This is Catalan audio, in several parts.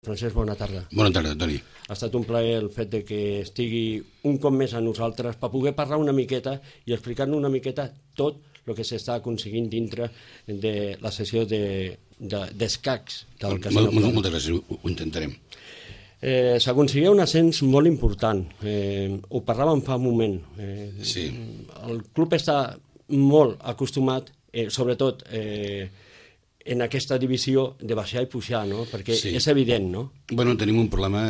Francesc, bona tarda. Bona tarda, Toni. Ha estat un plaer el fet de que estigui un cop més a nosaltres per poder parlar una miqueta i explicar-nos una miqueta tot el que s'està aconseguint dintre de la sessió d'escacs del Casino Polar. Moltes gràcies, ho intentarem. S'aconseguia un ascens molt important, ho parlàvem fa un moment. Sí. El club està molt acostumat, sobretot en aquesta divisió de baixar i pujar, no? Perquè sí. És evident, no? Bueno, tenim un problema,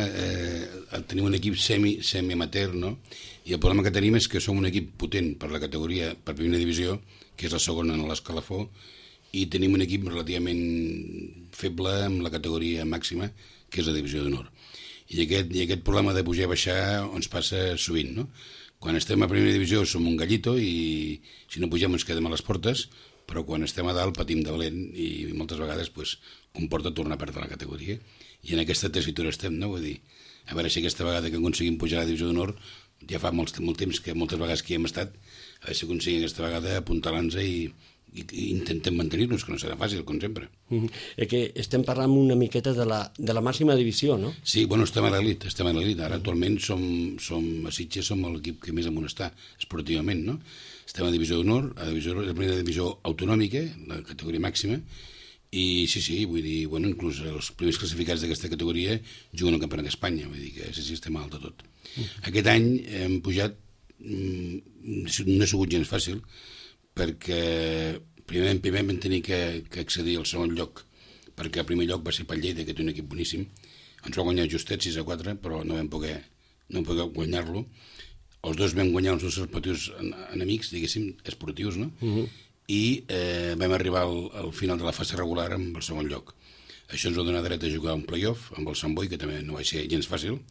tenim un equip semi-amateur, no? I el problema que tenim és que som un equip potent per la categoria, per primera divisió, que és la segona en l'escalafó, i tenim un equip relativament feble amb la categoria màxima, que és la divisió d'honor. I aquest problema de pujar i baixar ens passa sovint, no? Quan estem a primera divisió som un gallito i si no pugem ens quedem a les portes, però quan estem a dalt patim de valent i moltes vegades comporta tornar a perdre la categoria. I en aquesta tessitura estem, no? Vull dir, a veure si aquesta vegada que aconseguim pujar a la divisió d'honor, ja fa molt temps que moltes vegades que hi hem estat, a veure si aconseguim aquesta vegada apuntalar-nos i intentem mantenir-nos, que no serà fàcil, com sempre. Que estem parlant una miqueta de la màxima divisió, no? Sí, bueno, estem a l'elit. Ara actualment a Sitges som l'equip que més amunt està esportivament, no? Estem a divisió d'honor, a la primera divisió autonòmica, la categoria màxima, i sí, vull dir, bueno, inclús els primers classificats d'aquesta categoria juguen al Campionat d'Espanya, vull dir que sí, estem a alt de tot. Aquest any hem pujat, no ha sigut gens fàcil, perquè primer vam tenir que accedir al segon lloc, perquè el primer lloc va ser pel Lleida, que té un equip boníssim. Ens va guanyar justet 6-4, però no vam poder guanyar-lo. Els dos vam guanyar els nostres respectius enemics, diguéssim, esportius, no? I vam arribar al final de la fase regular amb el segon lloc. Això ens va donar dret a jugar un play-off amb el Sant Boi, que també no va ser gens fàcil,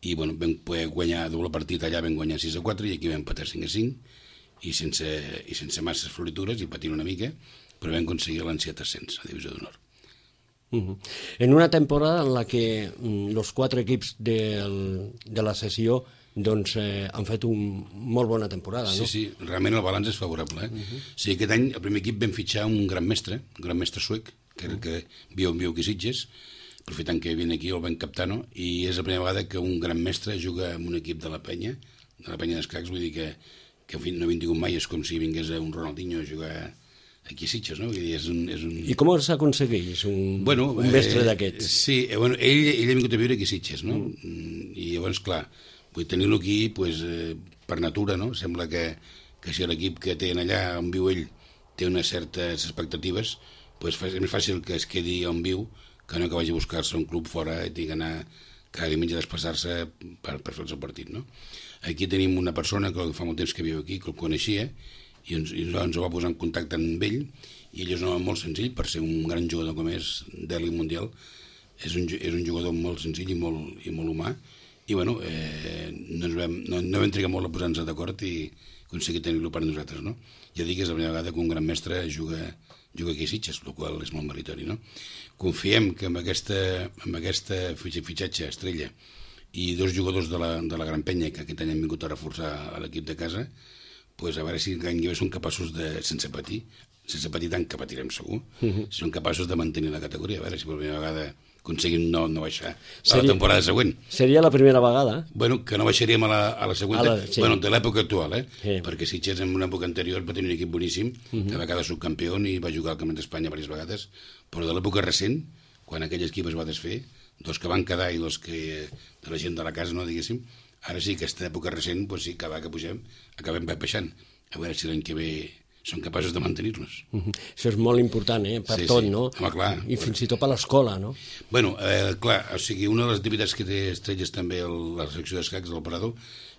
i bueno, vam poder guanyar doble partit allà, vam guanyar 6-4 i aquí vam empatar 5-5, i sense masses floritures i patint una mica, però vam aconseguir l'ansiat ascens a divisió d'honor. En una temporada en la que els 4 equips de la sessió doncs han fet una molt bona temporada, no? Sí, realment el balanç és favorable. Sí, aquest any el primer equip vam fitxar un gran mestre suec, que era el que viu aquí a Sitges, aprofitant que viene aquí el vam captar, no? I és la primera vegada que un gran mestre juga amb un equip de la penya d'escacs, vull dir que en fi, no havia tingut mai, és com si vingués un Ronaldinho a jugar aquí a Sitges, no? I com s'aconsegueix un mestre d'aquests? Sí, ell ha vingut a viure aquí a Sitges, no? I llavors, clar, vull tenir-lo aquí per natura, no? Sembla que si l'equip que tenen allà on viu ell té unes certes expectatives, és més fàcil que es quedi on viu que no que vagi a buscar-se un club fora i tingui d'anar cada diumenge a desplaçar-se per fer el seu partit, no? Aquí tenim una persona que fa molt temps que viu aquí, que el coneixia, i ens ho va posar en contacte amb ell, i ell és un home molt senzill, per ser un gran jugador com és d'elit mundial, és un jugador molt senzill i molt humà, i bueno, no vam trigar molt a posar-nos d'acord i aconseguir tenir-lo per nosaltres, no? Ja dic que és la primera vegada que un gran mestre juga aquí a Sitges, el qual és molt meritori, no? Confiem que amb aquesta fitxatge estrella i 2 jugadors de la Gran Penya que aquest any han vingut a reforçar a l'equip de casa, a veure si l'any que ve són capaços de, sense patir tant que patirem segur, si són capaços de mantenir la categoria, a veure si per primera vegada aconseguim no baixar a la temporada següent. Seria la primera vegada? Bueno, que no baixaríem a la següent, de l'època actual, perquè Sitges en una època anterior va tenir un equip boníssim, que va quedar subcampió i va jugar al Campionat d'Espanya diverses vegades, però de l'època recent, quan aquell equip es va desfer, 2 que van quedar i 2 que de la gent de la casa, no diguéssim, ara sí, aquesta època recent, sí, cada vegada que pugem, acabem baixant. A veure si l'any que ve són capaços de mantenir-nos. Això és molt important, per tot, no? Home, clar. I fins i tot per l'escola, no? Bueno, clar, o sigui, una de les activitats que té estrelles també la secció d'escacs del Parador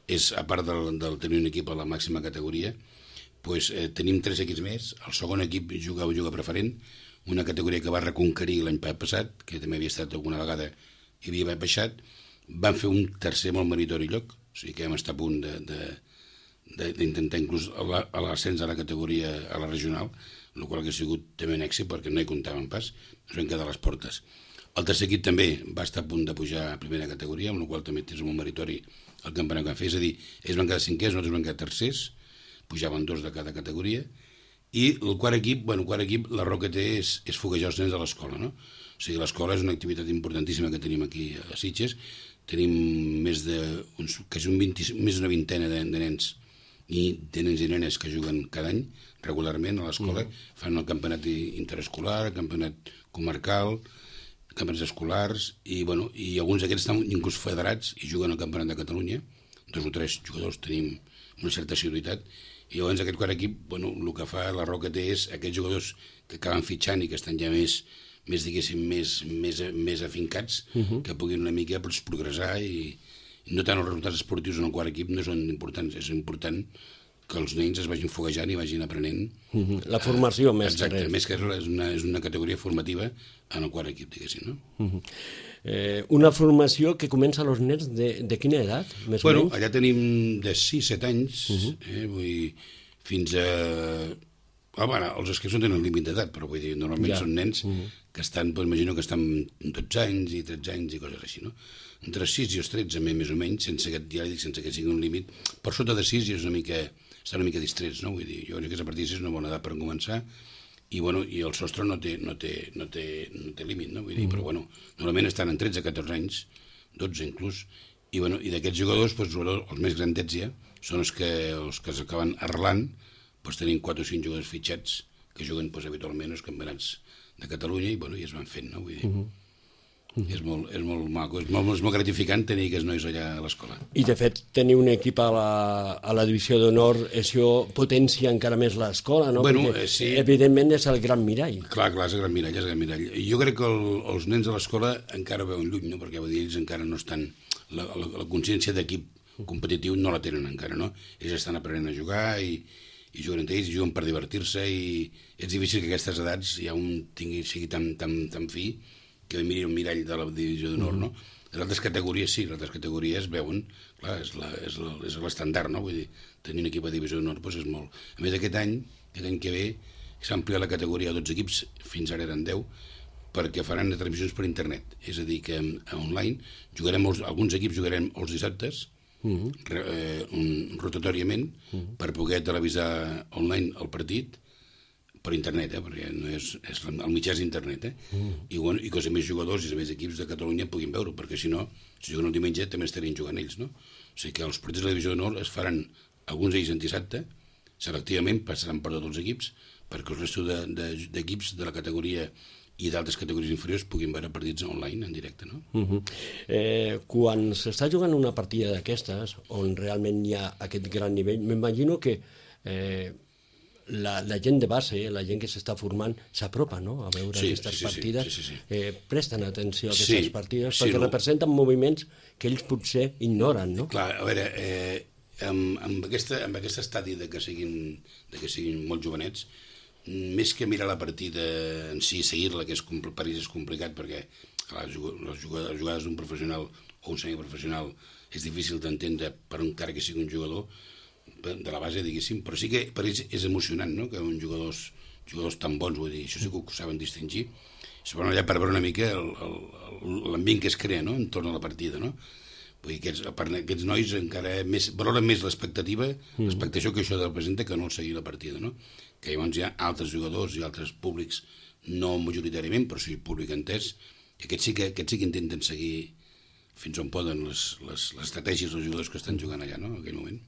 és, a part del tenir un equip a la màxima categoria, tenim 3 equips més. El segon equip juga preferent, una categoria que va reconquerir l'any passat, que també havia estat alguna vegada i havia baixat. Van fer un tercer molt meritori lloc, o sigui que vam estar a punt d'intentar inclús a l'ascens a la categoria, a la regional, el qual ha sigut també un èxit perquè no hi comptàvem pas, ens vam quedar a les portes. El tercer equip també va estar a punt de pujar a primera categoria, amb la qual també és molt meritori el campionat que van fer, és a dir, ells van quedar 5è, nosaltres vam quedar tercers, pujaven 2 de cada categoria, i el quart equip, la raó que té és foguejar els nens a l'escola, no? O sigui, l'escola és una activitat importantíssima que tenim aquí a Sitges. Tenim més d'una vintena de nens i de nens i nenes que juguen cada any regularment a l'escola. Fan el campionat interescolar, el campionat comarcal, campionats escolars, i alguns d'aquests estan inclús federats i juguen al Campionat de Catalunya. 2 o 3 jugadors tenim una certa assiduïtat, i llavors aquest quart equip, el que fa la raó que té és aquests jugadors que acaben fitxant i que estan ja més diguéssim, més afincats, que puguin una mica progressar, i no tant els resultats esportius en el quart equip no són importants, és important que els nens es vagin foguejant i vagin aprenent. La formació més que res. Exacte, més que res és una categoria formativa en el quart equip, diguéssim, no? Una formació que comença als nens de quina edat, més o menys? Allà tenim de 6-7 anys, fins a... els que són tenen límit d'edat, però vull dir, normalment són nens que estan, imagino que estan 12 anys i 13 anys i coses així, no? Entre 6 i els 13, més o menys, sense que sigui un límit. Per sota de 6 ja estan una mica distrets, no? Vull dir, jo crec que a partir de 6 és una bona edat per començar, i el sostre no té límit, no? Vull dir, però normalment estan en 13-14 anys, 12 inclús, i d'aquests jugadors, els més grandets ja, són els que s'acaben arrelant, tenim 4 o 5 jugadors fitxats que juguen habitualment als campionats de Catalunya i es van fent, no? Vull dir, és molt maco, és molt gratificant tenir aquests nois allà a l'escola. I de fet, tenir un equip a la divisió d'honor, això potencia encara més l'escola, no? Sí. Evidentment és el gran mirall. Clar, és el gran mirall, I jo crec que els nens de l'escola encara veuen lluny, no? Perquè ells encara no estan... La consciència d'equip competitiu no la tenen encara, no? Ells estan aprenent a jugar i juguen entre ells, i juguen per divertir-se, i és difícil que a aquestes edats ja un sigui tan fi que miri un mirall de la divisió d'honor, no? Les altres categories sí, les altres categories veuen, clar, és l'estandard, no? Vull dir, tenir un equip a divisió d'honor és molt... A més, aquest any que ve, s'ha ampliat la categoria a 12 equips, fins ara eren 10, perquè faran transmissions per internet, és a dir, que online alguns equips jugarem els dissabtes, rotatoriament, per poder televisar online el partit per internet, perquè no el mitjà és internet, i que els més jugadors i els més equips de Catalunya puguin veure, perquè si no, si juguen el diumenge també estarien jugant ells, no? O sigui que els partits de la divisió d'honor es faran alguns d'ells en dissabte, selectivament passaran per tots els equips, perquè el resto d'equips de la categoria i d'altres categories inferiors puguin veure partits online en directe, no? Quan s'està jugant una partida d'aquestes, on realment hi ha aquest gran nivell, m'imagino que la gent de base, la gent que s'està formant, s'apropa, no?, a veure aquestes partides. Presten atenció a aquestes partides, perquè representen moviments que ells potser ignoren, no? Clar, a veure, amb aquest estadi que siguin molt jovenets, més que mirar la partida en si, seguir-la, que per ells és complicat, perquè les jugades d'un professional o un semiprofessional és difícil d'entendre per encara que sigui un jugador de la base, diguéssim, però sí que per ells és emocionant, no?, que uns jugadors tan bons, vull dir, això sí que ho saben distingir, es van allà per veure una mica l'ambient que es crea, no?, entorn a la partida, no? Vull dir, aquests nois encara valoren més l'expectació que això representa que no el seguir la partida, no? Que llavors hi ha altres jugadors i altres públics, no majoritàriament, però sí públic entès, que aquests sí que intenten seguir fins on poden les estratègies dels jugadors que estan jugant allà, no?, en aquell moment.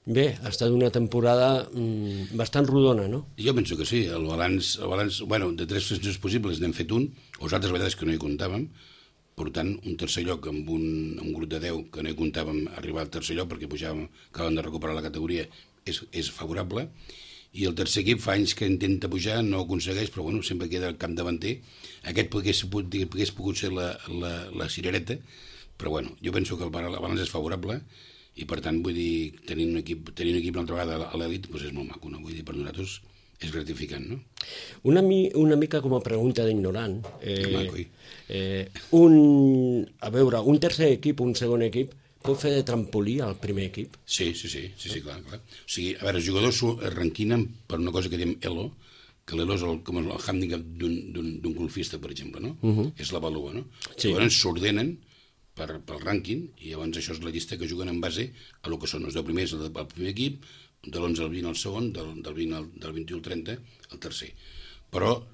Bé, ha estat una temporada bastant rodona, no? Jo penso que sí, el balanç, de 3 sessions possibles n'hem fet un, o les altres vegades que no hi comptàvem, portant un tercer lloc amb un grup de 10 que no hi comptàvem arribar al tercer lloc perquè acabàvem de recuperar la categoria, és favorable, i el tercer equip fa anys que intenta pujar, no ho aconsegueix, però sempre queda el capdavanter. Aquest hagués pogut ser la cirereta, però jo penso que el balanç és favorable, i per tant, vull dir, tenir un equip una altra vegada a l'elit és molt maco, no? Vull dir, per nosaltres és gratificant, no? Una mica com a pregunta d'ignorant. Un tercer equip, un segon equip, pot fer de trampolí al primer equip? Sí, clar. O sigui, a veure, els jugadors es ranquinen per una cosa que diem ELO, que l'ELO és com el handicap d'un golfista, per exemple, no? És la valua, no? Llavors s'ordenen pel rànquing, i llavors això és la llista que juguen en base a el que són els 10 primers el primer equip, de l'11 al 20 al segon, del 21 al 30 al tercer. Però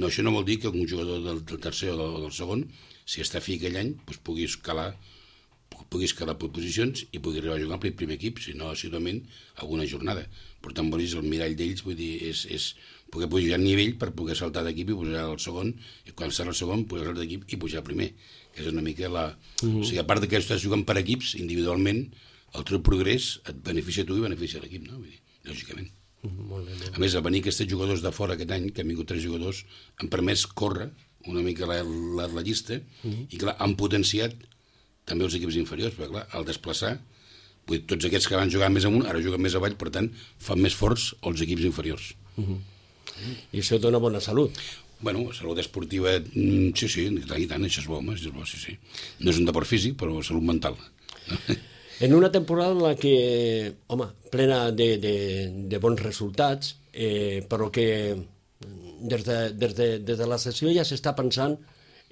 això no vol dir que un jugador del tercer o del segon, si està fi aquell any, doncs pugui escalar per posicions i pugui arribar a jugar al primer equip, si no, assiduament, alguna jornada. Per tant, vols el mirall d'ells, vull dir, és poder pujar a nivell per poder saltar d'equip i pujar al segon, i quan serà el segon, pujar saltar d'equip i pujar al primer, que és una mica la... O sigui, a part que estàs jugant per equips, individualment, el teu progrés et beneficia a tu i beneficia a l'equip, no? Vull dir, lògicament. Molt bé. A més, a venir aquests jugadors de fora aquest any, que han vingut 3 jugadors, han permès córrer una mica la llista i, clar, han potenciat també els equips inferiors, perquè, clar, al desplaçar, vull dir, tots aquests que van jugar més amunt, ara juguen més avall, per tant, fan més forts els equips inferiors. I això dona bona salut. Bueno, salut esportiva, sí, i tant, això és bo, sí. No és un deport físic, però salut mental. En una temporada en la que, home, plena de bons resultats, però que des de la sessió ja s'està pensant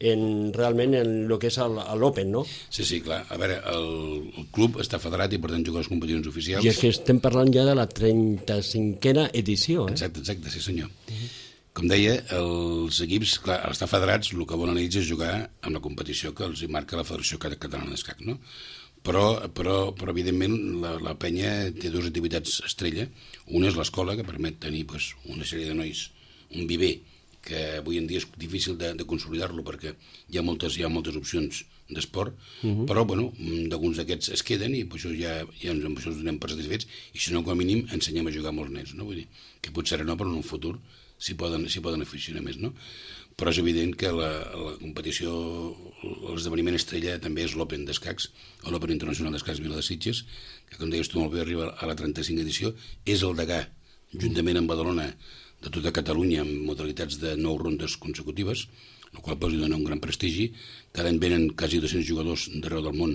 realment en el que és l'Open, no? Sí, clar. A veure, el club està federat i per tant juga a les competicions oficials. I és que estem parlant ja de la 35a edició, eh? Exacte, sí senyor. Com deia, els equips, clar, al estar federats, el que volen ells és jugar amb la competició que els marca la Federació Catalana d'Escac, no? Però evidentment, la penya té 2 activitats estrella. Una és l'escola, que permet tenir una sèrie de nois, un viver, que avui en dia és difícil de consolidar-lo perquè hi ha moltes opcions d'esport, però alguns d'aquests es queden i això ja amb això ens donem per satisfets i si no, com a mínim, ensenyem a jugar a molts nens, no? Vull dir, que potser no, però en un futur s'hi poden aficionar més, no? Però és evident que la competició, l'esdeveniment estrella també és l'Open d'escacs, o l'Open Internacional d'Escacs Vila de Sitges, que com deies tu molt bé arriba a la 35a edició, és el degà, juntament amb Badalona, de tota Catalunya amb modalitats de 9 rondes consecutives, el qual li dona un gran prestigi. Cada any venen quasi 200 jugadors d'arreu del món,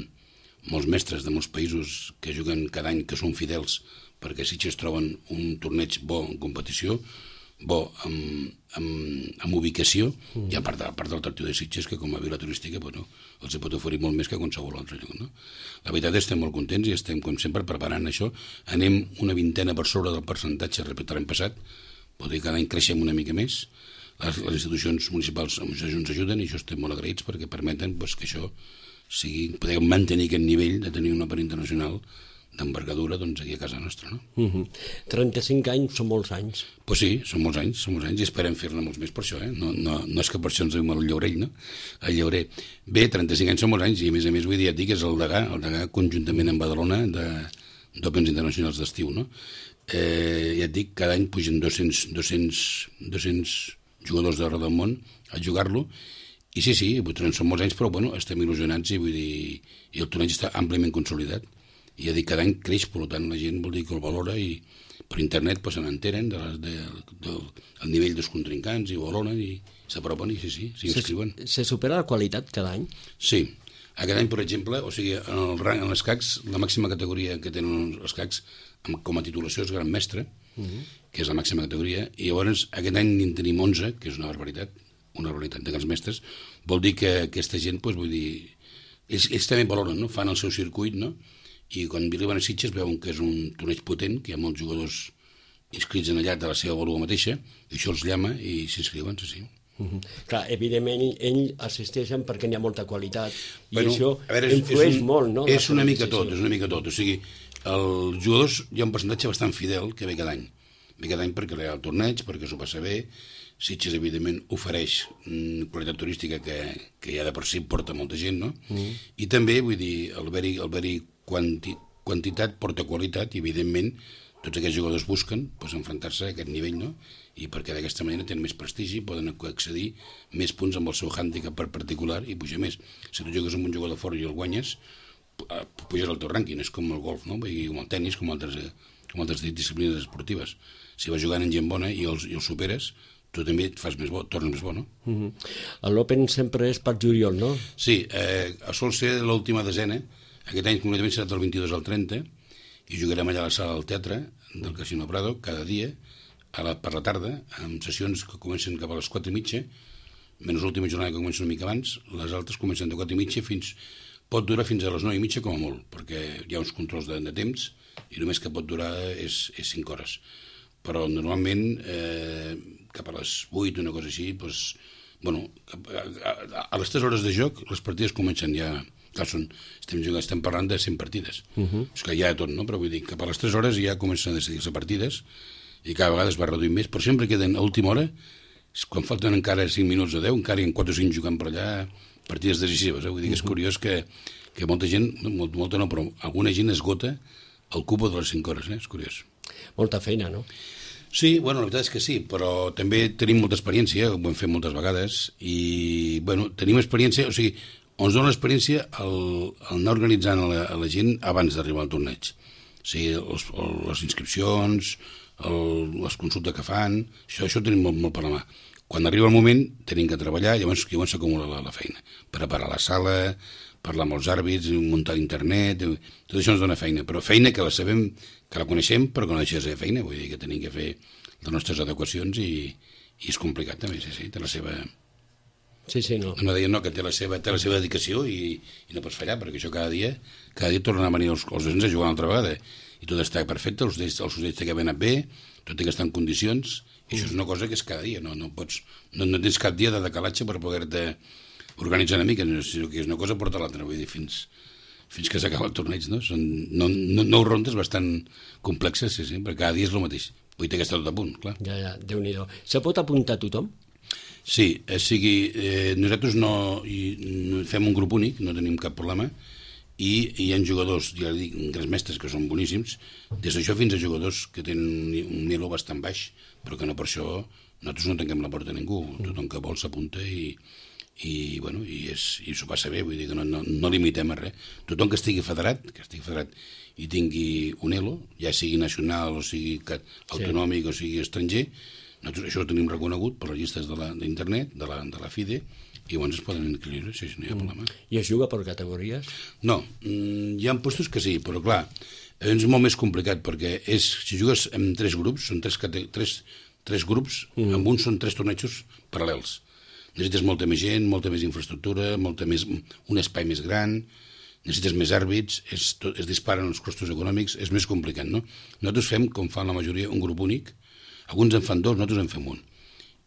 molts mestres de molts països que juguen cada any, que són fidels, perquè Sitges troben un torneig bo en competició, bo amb ubicació, i a part del atractiu de Sitges, que com a vila turística els pot oferir molt més que qualsevol altre lloc, no? La veritat és que estem molt contents i estem, com sempre, preparant això. Anem una vintena per sobre del percentatge respecte a l'any passat. Vol dir que cada any creixem una mica més, les institucions municipals ens ajuden i això estem molt agraïts perquè permeten que això podem mantenir aquest nivell de tenir un Open internacional d'envergadura aquí a casa nostra, no? 35 anys són molts anys. Pues sí, són molts anys i esperem fer-ne molts més per això, eh? No és que per això ens veiem al Llaurell, no? Al Llaurer. Bé, 35 anys són molts anys i a més vull dir, et dic, és el degà conjuntament amb Badalona d'Opens internacionals d'estiu, no? Ja et dic, cada any pugen 200 jugadors d'arreu del món a jugar-lo i sí, són molts anys, però estem il·lusionats i vull dir, i el torneig està àmpliament consolidat i ja dic, cada any creix, per tant la gent vol dir que el valora i per internet se n'enteren del nivell dels contrincants i valoren i s'apropen i sí, s'inscriuen. Se supera la qualitat cada any? Sí. Aquest any, per exemple, o sigui, en les CACs, la màxima categoria que tenen els CACs com a titulació és Gran Mestre, que és la màxima categoria, i llavors aquest any en tenim 11, que és una barbaritat de Grans Mestres. Vol dir que aquesta gent, vull dir, ells també valoren, no? Fan el seu circuit, no? I quan arriben a Sitges veuen que és un torneig potent, que hi ha molts jugadors inscrits en allà de la seva vàlua mateixa, i això els llama i s'inscriuen, sí. Clar, evidentment ells assisteixen perquè n'hi ha molta qualitat i això influeix molt, no? És una mica tot, o sigui, els jugadors hi ha un percentatge bastant fidel que ve cada any perquè hi ha el torneig, perquè s'ho passa bé. Sitges evidentment ofereix qualitat turística que ja de per si porta molta gent, no? I també, vull dir, el haver-hi quantitat porta qualitat i evidentment tots aquests jugadors busquen enfrontar-se a aquest nivell, no? I perquè d'aquesta manera tenen més prestigi, poden accedir més punts amb el seu hàndicap particular i pujar més. Si tu jugues amb un jugador fort i el guanyes, puges al teu rànquing, és com el golf, no? I com el tennis, com altres disciplines esportives. Si vas jugant en gent bona i els superes, tu també et fas més bo, tornes més bo, no? L'Open sempre és per juliol, no? Sí, sol ser l'última desena. Aquest any concretament serà del 22 al 30 i jugarem allà a la sala del teatre del Casino Prado cada dia per la tarda, amb sessions que comencen cap a les 4:30, menys l'última jornada que comença una mica abans, les altres comencen de 4:30 pot durar fins a les 9:30 com a molt, perquè hi ha uns controls de temps i només que pot durar és 5 hores. Però normalment cap a les 8, una cosa així, doncs, bueno, a les 3 hores de joc les partides comencen ja, clar, estem parlant de 100 partides, és que hi ha tot, no? Però vull dir, cap a les 3 hores ja comencen a decidir-se partides i cada vegada es va reduint més, però sempre queden a última hora, quan falten encara 5 minuts o 10, encara hi ha 4 o 5 jugant per allà, partides decisives, vull dir que és curiós que molta gent, molta no, però alguna gent esgota el cupo de les 5 hores, és curiós. Molta feina, no? Sí, bueno, la veritat és que sí, però també tenim molta experiència, ho hem fet moltes vegades, i, bueno, tenim experiència, o sigui, ens dona l'experiència el anar organitzant a la gent abans d'arribar al torneig. O sigui, les inscripcions, les consultes que fan, això tenim molt per la mà. Quan arriba el moment, tenim que treballar, llavors s'acumula la feina. Preparar la sala, parlar amb els àrbits, muntar internet, tot això ens dona feina, però feina que la sabem, que la coneixem, però que no deixa de ser feina, vull dir que tenim que fer les nostres adequacions i és complicat també, sí, té la seva... Sí, no. No deia no, que té la seva dedicació i no pots fallar, perquè això cada dia tornen a venir els nens a jugar una altra vegada i tot està perfecte, els ocells que han anat bé, tot té que estar en condicions, i això és una cosa que és cada dia, no tens cap dia de decalatge per poder-te organitzar una mica, sinó que és una cosa porta l'altra, vull dir, fins que s'acaba el torneig, no? Són 9 rondes bastant complexes, sí, perquè cada dia és el mateix. Vull dir que està tot a punt, clar. Ja, Déu-n'hi-do. Se pot apuntar tothom? Sí, nosaltres no fem un grup únic, no tenim cap problema, i hi ha jugadors, ja dic, grans mestres que són boníssims, des d'això fins a jugadors que tenen un nivell bastant baix, però que no per això nosaltres no tanquem la porta a ningú, tothom que vol s'apunta i s'ho passa bé, vull dir que no limitem a res. Tothom que estigui federat i tingui un ELO, ja sigui nacional o sigui autonòmic o sigui estranger, nosaltres això ho tenim reconegut per les llistes d'internet, de la FIDE, i llavors es poden inscriure, si no hi ha problema. I es juga per categories? No, hi ha postos que sí, però clar, és molt més complicat perquè si jugues en 3 grups, són 3 grups, amb un són 3 tornejos paral·lels. Necessites molta més gent, molta més infraestructura, un espai més gran, necessites més àrbits, es disparen els costos econòmics, és més complicat, no? Nosaltres fem, com fan la majoria, un grup únic, alguns en fan 2, nosaltres en fem un.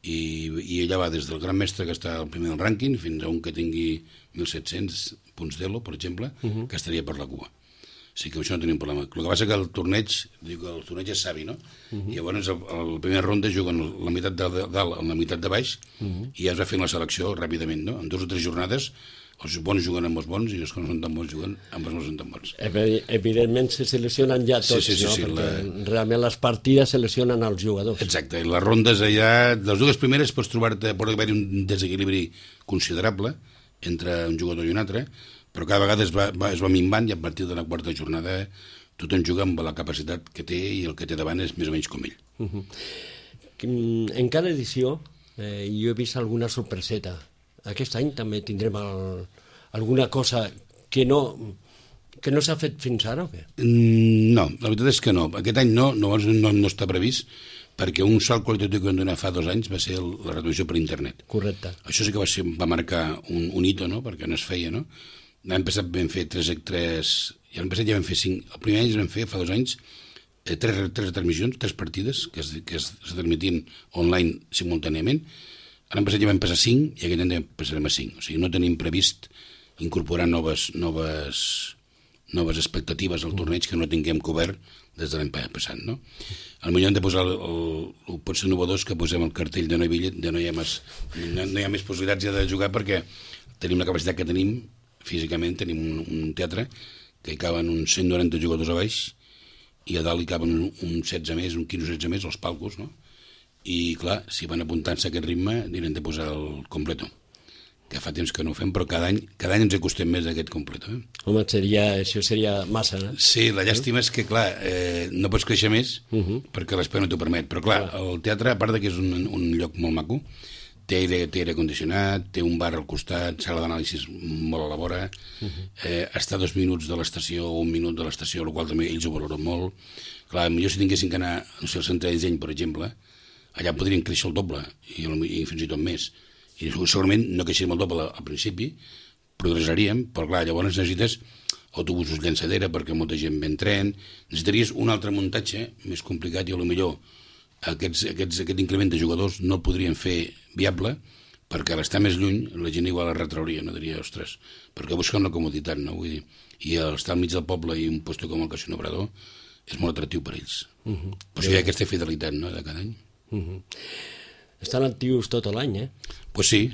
I allà va des del gran mestre que està al primer del rànquing fins a un que tingui 1.700 punts d'ELO, per exemple, que estaria per la cua. O sigui que això no tenim problema. El que passa que el torneig és savi, no? I llavors a la primera ronda juguen la meitat de dalt amb la meitat de baix i ja es va fent la selecció ràpidament, no? En 2 o 3 jornades els bons juguen amb els bons i els que no són tan bons juguen amb els no són tan bons. Evidentment se seleccionen ja tots, no? Perquè realment les partides seleccionen els jugadors. Exacte, i les rondes allà, les 2 primeres pot haver-hi un desequilibri considerable entre un jugador i un altre, però cada vegada es va minvant i a partir de la 4ª jornada tothom juga amb la capacitat que té i el que té davant és més o menys com ell. En cada edició jo he vist alguna sorpreseta. Aquest any també tindrem alguna cosa que no s'ha fet fins ara o què? No, la veritat és que no. Aquest any no està previst perquè un salt qualitatiu que vam donar fa 2 anys va ser la retransmissió per internet. Correcte. Això sí que va marcar un hito, no? Perquè no es feia, no? L'any passat vam fer 3, i l'any passat ja vam fer 5. El primer any vam fer, fa 2 anys, 3 retransmissions, 3 partides que es transmitien online simultàniament. L'any passat ja vam passar 5 i aquest any ja passarem a 5. O sigui, no tenim previst incorporar noves expectatives al torneig que no tinguem cobert des de l'any passat, no? Potser hem de posar pot ser novedós que posem el cartell de no hi ha més possibilitats ja de jugar perquè tenim la capacitat que tenim físicament, tenim un teatre que hi caben uns 190 jugadors a baix i a dalt hi caben un 16 més, un 15 o 16 més, els palcos, no? I clar, si van apuntant-se a aquest ritme anirem de posar el completo, que fa temps que no ho fem, però cada any ens acostem més a aquest completo. Home, això seria massa, no? Sí, la llàstima és que, clar, no pots créixer més perquè l'espai no t'ho permet, però clar, el teatre, a part que és un lloc molt maco, té aire condicionat, té un bar al costat, sala d'anàlisis molt a la vora, està a 2 minuts de l'estació o 1 minut de l'estació, el qual també ells ho valoren molt. Clar, millor si tinguessin que anar al centre de disseny, per exemple, allà podrien créixer el doble i fins i tot més. I segurament no creixeríem el doble al principi, progressaríem, però clar, llavors necessites autobusos llançadera perquè molta gent ve en tren, necessitaries un altre muntatge més complicat i potser aquest increment de jugadors no el podrien fer viable, perquè a l'estar més lluny la gent igual es retrauria, no diria, ostres, perquè busquen la comoditat, no? Vull dir, i estar al mig del poble i un lloc com el Casino Obrador és molt atractiu per ells. Però hi ha aquesta fidelitat, no?, de cada any. Estan actius tot l'any, eh? Pues sí.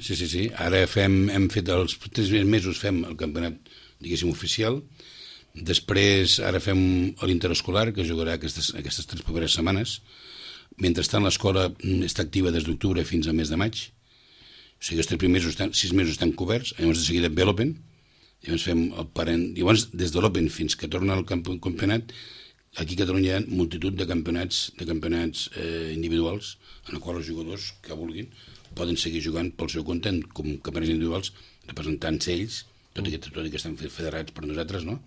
Ara hem fet els 3 mesos fem el campionat, diguéssim, oficial. Després ara fem l'interescolar, que jugarà aquestes 3 properes setmanes. Mentrestant, l'escola està activa des d'octubre fins al mes de maig. O sigui, els 6 mesos estan coberts. Llavors, de seguida ve l'Open. Llavors fem el parent. Llavors, des de l'Open fins que torna al campionat, aquí a Catalunya hi ha multitud de campionats individuals en els quals els jugadors que vulguin poden seguir jugant pel seu compte com campionats individuals, representant ells, tot i que estan federats per nosaltres, no?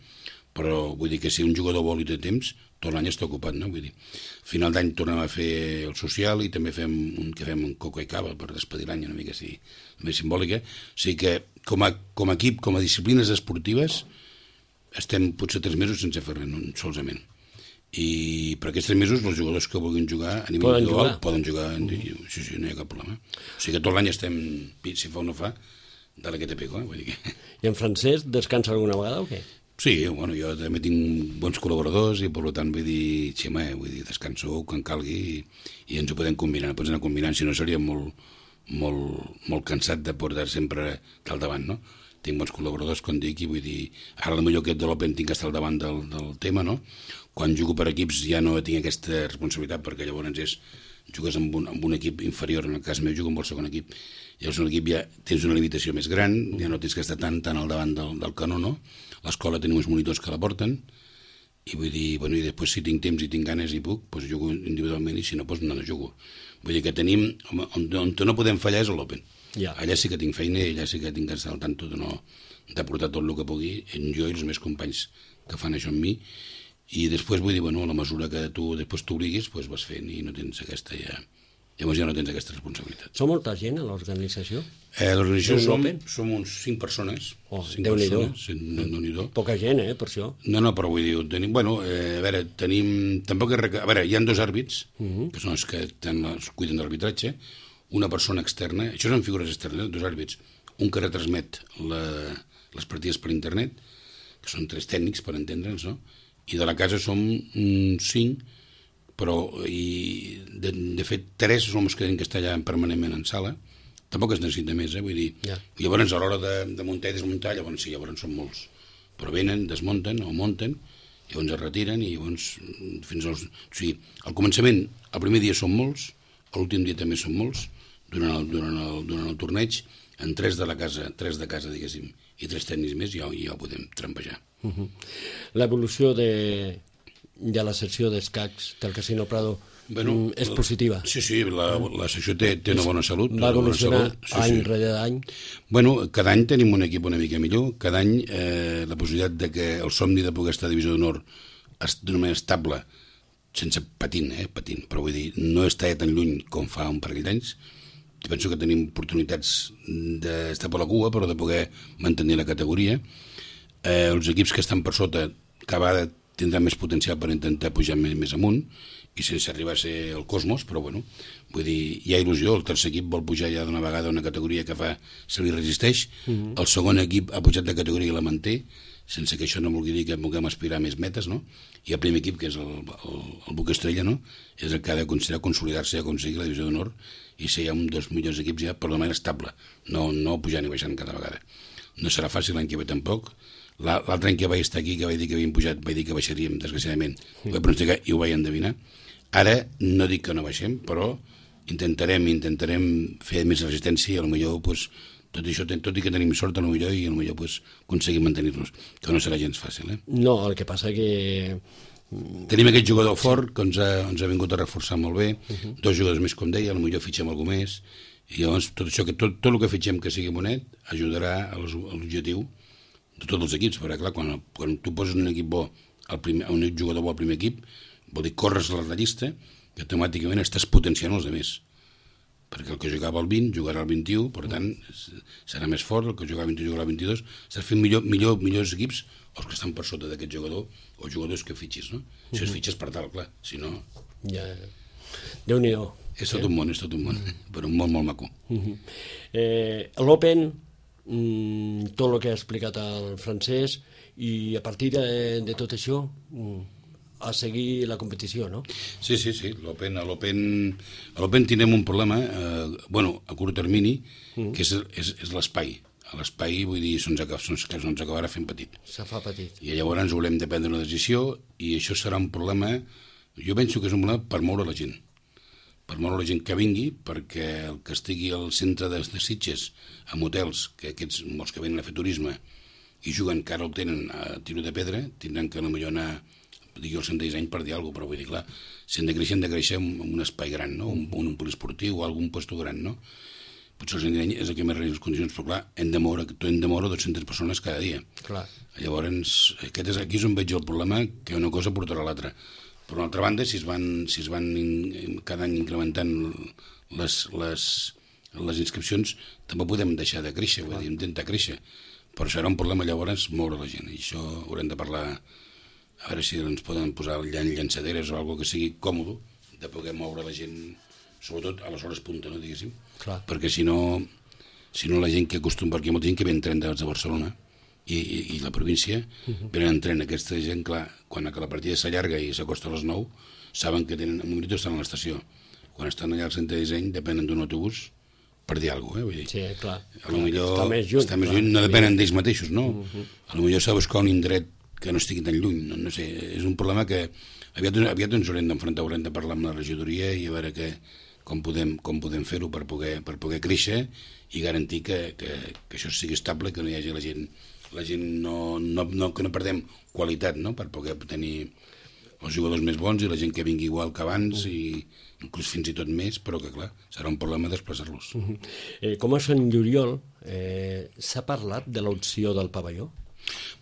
Però vull dir que si un jugador vol i té temps, tot l'any està ocupat, no? Vull dir, a final d'any tornem a fer el social i també fem un coco i cava per despedir l'any, una mica així, més simbòlica. O sigui que com a equip, com a disciplines esportives, estem potser 3 mesos sense fer res, solament. I per aquests 3 mesos els jugadors que vulguin jugar a nivell individual poden jugar, sí, no hi ha cap problema. O sigui que tot l'any estem, si fa o no fa, de la que te pego, vull dir que... I en Francesc descansa alguna vegada o què? Sí, bueno, jo també tinc bons col·laboradors i per tant vull dir, xema, descanso quan calgui i ens ho podem combinar, pots anar combinant, si no seria molt cansat de portar sempre al davant, no? Tinc bons col·laboradors, com dic, i vull dir, ara potser aquest de l'Open tinc que estar al davant del tema, no? Quan jugo per equips ja no tinc aquesta responsabilitat, perquè llavors jugues amb un equip inferior, en el cas meu jugo amb el segon equip, llavors en l'equip ja tens una limitació més gran, ja no tens que estar tan al davant del canó, no? L'escola tenim uns monitors que la porten, i vull dir, bueno, i després si tinc temps i tinc ganes i puc, doncs jugo individualment, i si no, doncs no jugo. Vull dir que tenim, on no podem fallar és a l'Open. Allà sí que tinc feina i allà sí que tinc que estar al tanto de portar tot el que pugui, jo i els meus companys que fan això amb mi, i després vull dir, bueno, a la mesura que tu després t'obliguis, doncs vas fent i no tens aquesta llavors ja no tens aquesta responsabilitat. Som molta gent a l'organització? L'organització som uns 5 persones. Déu-n'hi-do. Poca gent, per això. No, però vull dir, tenim, bueno, a veure, hi ha 2 àrbits, que són els que es cuiden de l'arbitratge, una persona externa, això són figures externes, 2 àrbits, un que retransmet les partides per internet, que són 3 tècnics, per entendre'ns, no? I de la casa som 5, però de fet 3 som els que tenim que estar allà permanentment en sala, tampoc es necessita més, vull dir, llavors a l'hora de muntar i desmuntar, llavors són molts, però venen, desmunten o munten, llavors es retiren i llavors fins als... O sigui, al començament, el primer dia són molts, l'últim dia també són molts, durant el torneig, en 3 de casa, diguéssim, i 3 tècnics més ja ho podem trampejar. L'evolució de la secció d'escacs del Casino Prado és positiva. Sí, la secció té una bona salut. Va evolucionar any rere any. Bueno, cada any tenim un equip una mica millor, cada any la possibilitat de que el somni de poder estar a Divisió d'Honor d'una manera estable, sense patint, però vull dir, no està tan lluny com fa un parell d'anys. Penso que tenim oportunitats d'estar per la cua, però de poder mantenir la categoria. Els equips que estan per sota cada vegada tindran més potencial per intentar pujar més amunt, i sense arribar a ser el Cosmos, però bueno, vull dir, hi ha il·lusió, el tercer equip vol pujar ja d'una vegada a una categoria que se li resisteix, el segon equip ha pujat de categoria i la manté, sense que això no vulgui dir que vulguem aspirar a més metes, no? I el primer equip, que és el Buc Estrella, no? És el que ha de considerar consolidar-se i aconseguir la Divisió d'Honor i ser ja un dels millors equips ja per la manera estable, no pujant i baixant cada vegada. No serà fàcil l'any que ve tampoc. L'altre any que vaig estar aquí, que vaig dir que havíem pujat, vaig dir que baixaríem, desgraciadament. Ho vaig pronosticar i ho vaig endevinar. Ara no dic que no baixem, però intentarem fer més resistència i potser tot això, tot i que tenim sort potser i potser aconseguim mantenir-nos, que no serà gens fàcil. No, el que passa que... Tenim aquest jugador fort que ens ha vingut a reforçar molt bé, 2 jugadors més, com deia, potser fitxem algú més, i llavors tot el que fitxem que sigui bonet ajudarà a l'objectiu de tots els equips, perquè clar, quan tu poses un equip bo, un jugador bo al primer equip, vol dir corres la llista i automàticament estàs potenciant els altres, perquè el que jugava al 20 jugarà al 21, per tant serà més fort, el que jugava al 21 jugarà al 22, estàs fent millors equips els que estan per sota d'aquest jugador o jugadors que fitxis, no? Si els fitxes per tal, clar, si no... Déu-n'hi-do. És tot un món, però un món molt maco. L'Open, tot el que ha explicat el Francesc, i a partir de tot això a seguir la competició, no? Sí, a l'Open tindrem un problema, a curt termini, que és l'espai. A l'espai, vull dir, se'ns acabarà fent petit. Se fa petit. I llavors haurem de prendre una decisió i això serà un problema, jo penso que és un problema per moure la gent. Per moure la gent que vingui, perquè el que estigui al centre de Sitges, amb hotels, que aquests, molts que venen a fer turisme i juguen, que ara el tenen a tiro de pedra, tindran que potser anar, digui el centre de disseny per dir alguna cosa, però vull dir, clar, si han de créixer en un espai gran, no? un poliesportiu o algun puesto gran, no? Potser el centre de disseny és el que més reina les condicions, però clar, hem de moure 200 persones cada dia. Clar. Llavors, aquí és on veig el problema, que una cosa portarà a l'altra. Per una altra banda, si es van cada any incrementant les inscripcions, també podem deixar de créixer, vull dir, intentar créixer. Però serà un problema llavors moure la gent, i això haurem de parlar, a veure si ens poden posar llançaderes o alguna que sigui còmode de poder moure la gent, sobretot a les hores punta, no, diguéssim. Clar. Perquè si no la gent que acostuma, perquè hi ha molta gent que ve en tren de Barcelona i la província, venen en tren. Aquesta gent, clar, quan la partida s'allarga i s'acosta a les 9, saben que tenen un minut estan a l'estació. Quan estan allà al centre de disseny depenen d'un autobús per dir alguna cosa, vull dir. Sí, clar. Està més lluny, no depenen d'ells mateixos, no? Potser s'ha de buscar un indret que no estigui tan lluny, no sé, és un problema que aviat ens haurem d'enfrontar, haurem de parlar amb la regidoria i a veure com podem fer-ho per poder créixer i garantir que això sigui estable, que no hi hagi la gent que no perdem qualitat, no? Per poder tenir els jugadors més bons i la gent que vingui igual que abans i inclús fins i tot més, però que clar, serà un problema desplaçar-los. Com a Sant Lluriol, s'ha parlat de l'opció del pavelló?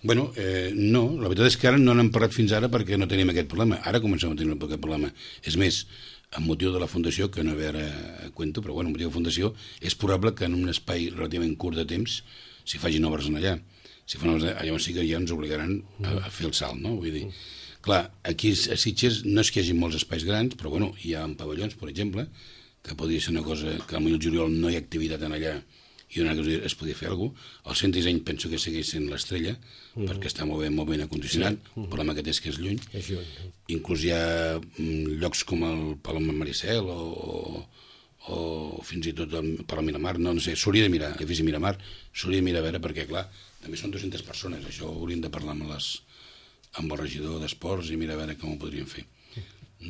Bueno, no, la veritat és que ara no n'hem parlat fins ara perquè no tenim aquest problema. Ara comencem a tenir aquest problema. És més, amb motiu de la Fundació, que no ve ara a cuento, però bueno, amb motiu de la Fundació, és probable que en un espai relativament curt de temps s'hi facin obres en allà. Si fan obres allà, llavors sí que ja ens obligaran a fer el salt, no? Vull dir, clar, aquí a Sitges no és que hi hagi molts espais grans, però bueno, hi ha pavellons, per exemple, que podria ser una cosa que al juliol no hi ha activitat en allà i una cosa es podia fer alguna cosa. El centre de disseny penso que segueix sent l'Estrella, perquè està molt ben acondicionat, el problema que té és que és lluny. Inclús hi ha llocs com el Palau Maricel o fins i tot el Palau Miramar, no sé, s'hauria de mirar, edifici Miramar, s'hauria de mirar a veure perquè, clar, també són 200 persones, això hauríem de parlar amb el regidor d'Esports i mirar a veure com ho podríem fer.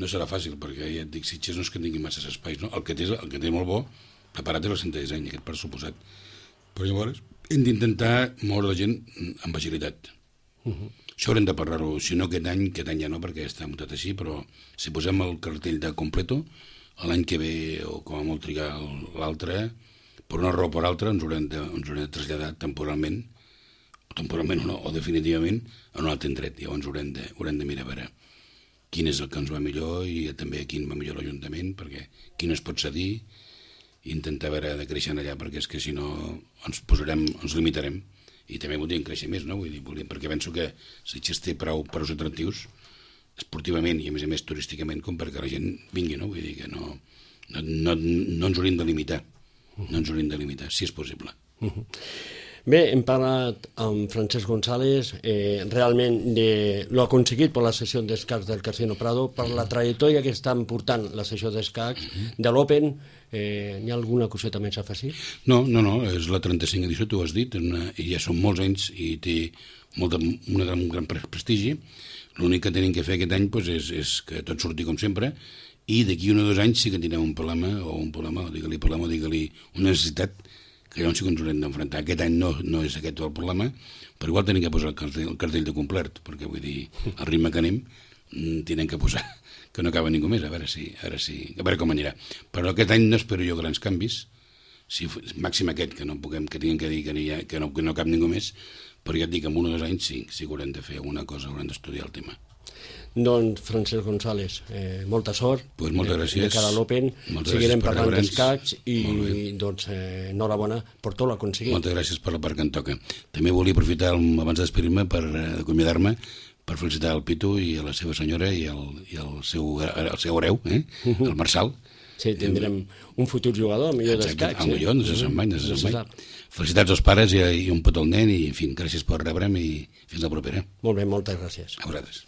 No serà fàcil, perquè ja et dic, Sitges no és que tingui masses espais, no? El que té molt bo preparat és el centre de disseny, aquest per suposat. Però llavors hem d'intentar moure la gent amb agilitat. Això haurem de parlar-ho, si no aquest any ja no, perquè està muntat així, però si posem el cartell de completo, l'any que ve, o com a molt trigar l'altre, per una raó o per altra, ens haurem de traslladar temporalment o definitivament, a un altre indret. Llavors haurem de mirar a veure quin és el que ens va millor i també a quin va millor l'Ajuntament, perquè qui no es pot cedir, i intentar veure de créixer allà, perquè és que si no ens limitarem i també voldríem créixer més, no? Vull dir, perquè penso que Sitges té prou atractius esportivament i a més turísticament com perquè la gent vingui, no? Vull dir que no ens hauríem de limitar, si és possible. Bé, hem parlat amb Francesc González realment de lo aconseguit per la sessió d'escacs del Casino Prado, per la trajectòria que estan portant la sessió d'escacs de l'Open. N'hi ha alguna coseta més a afegir? No, és la 35 edició, tu ho has dit, i ja són molts anys i té un gran prestigi. L'únic que tenim que fer aquest any és que tot surti com sempre i d'aquí 1 o 2 anys sí que tindrem un problema, digue-li una necessitat que llavors sí que ens haurem d'enfrontar. Aquest any no és aquest el problema, però igual tenim que posar el cartell de complert, perquè vull dir, al ritme que anem, tenen que posar que no acaba ningú més, a veure com anirà. Però aquest any no espero jo grans canvis, màxim aquest, que tinguem que dir que no cap ningú més, però ja et dic, en 1 o 2 anys sí que haurem de fer alguna cosa, haurem d'estudiar el tema. Doncs, Francesc González, molta sort. Moltes gràcies. De cara a l'Open, seguirem parlant d'escacs i doncs enhorabona per tot l'aconseguit. Moltes gràcies per la part que em toca. També volia aprofitar abans de despedir-me per acomiadar-me per felicitar el Pitu i a la seva senyora i el seu hereu, el Marçal. Sí, tindrem un futur jugador, millor d'escacs. Millor, no se se'n mai. Felicitats als pares i un petó al nen i, en fi, gràcies per rebre'm i fins la propera. Molt bé, moltes gràcies. A vosaltres.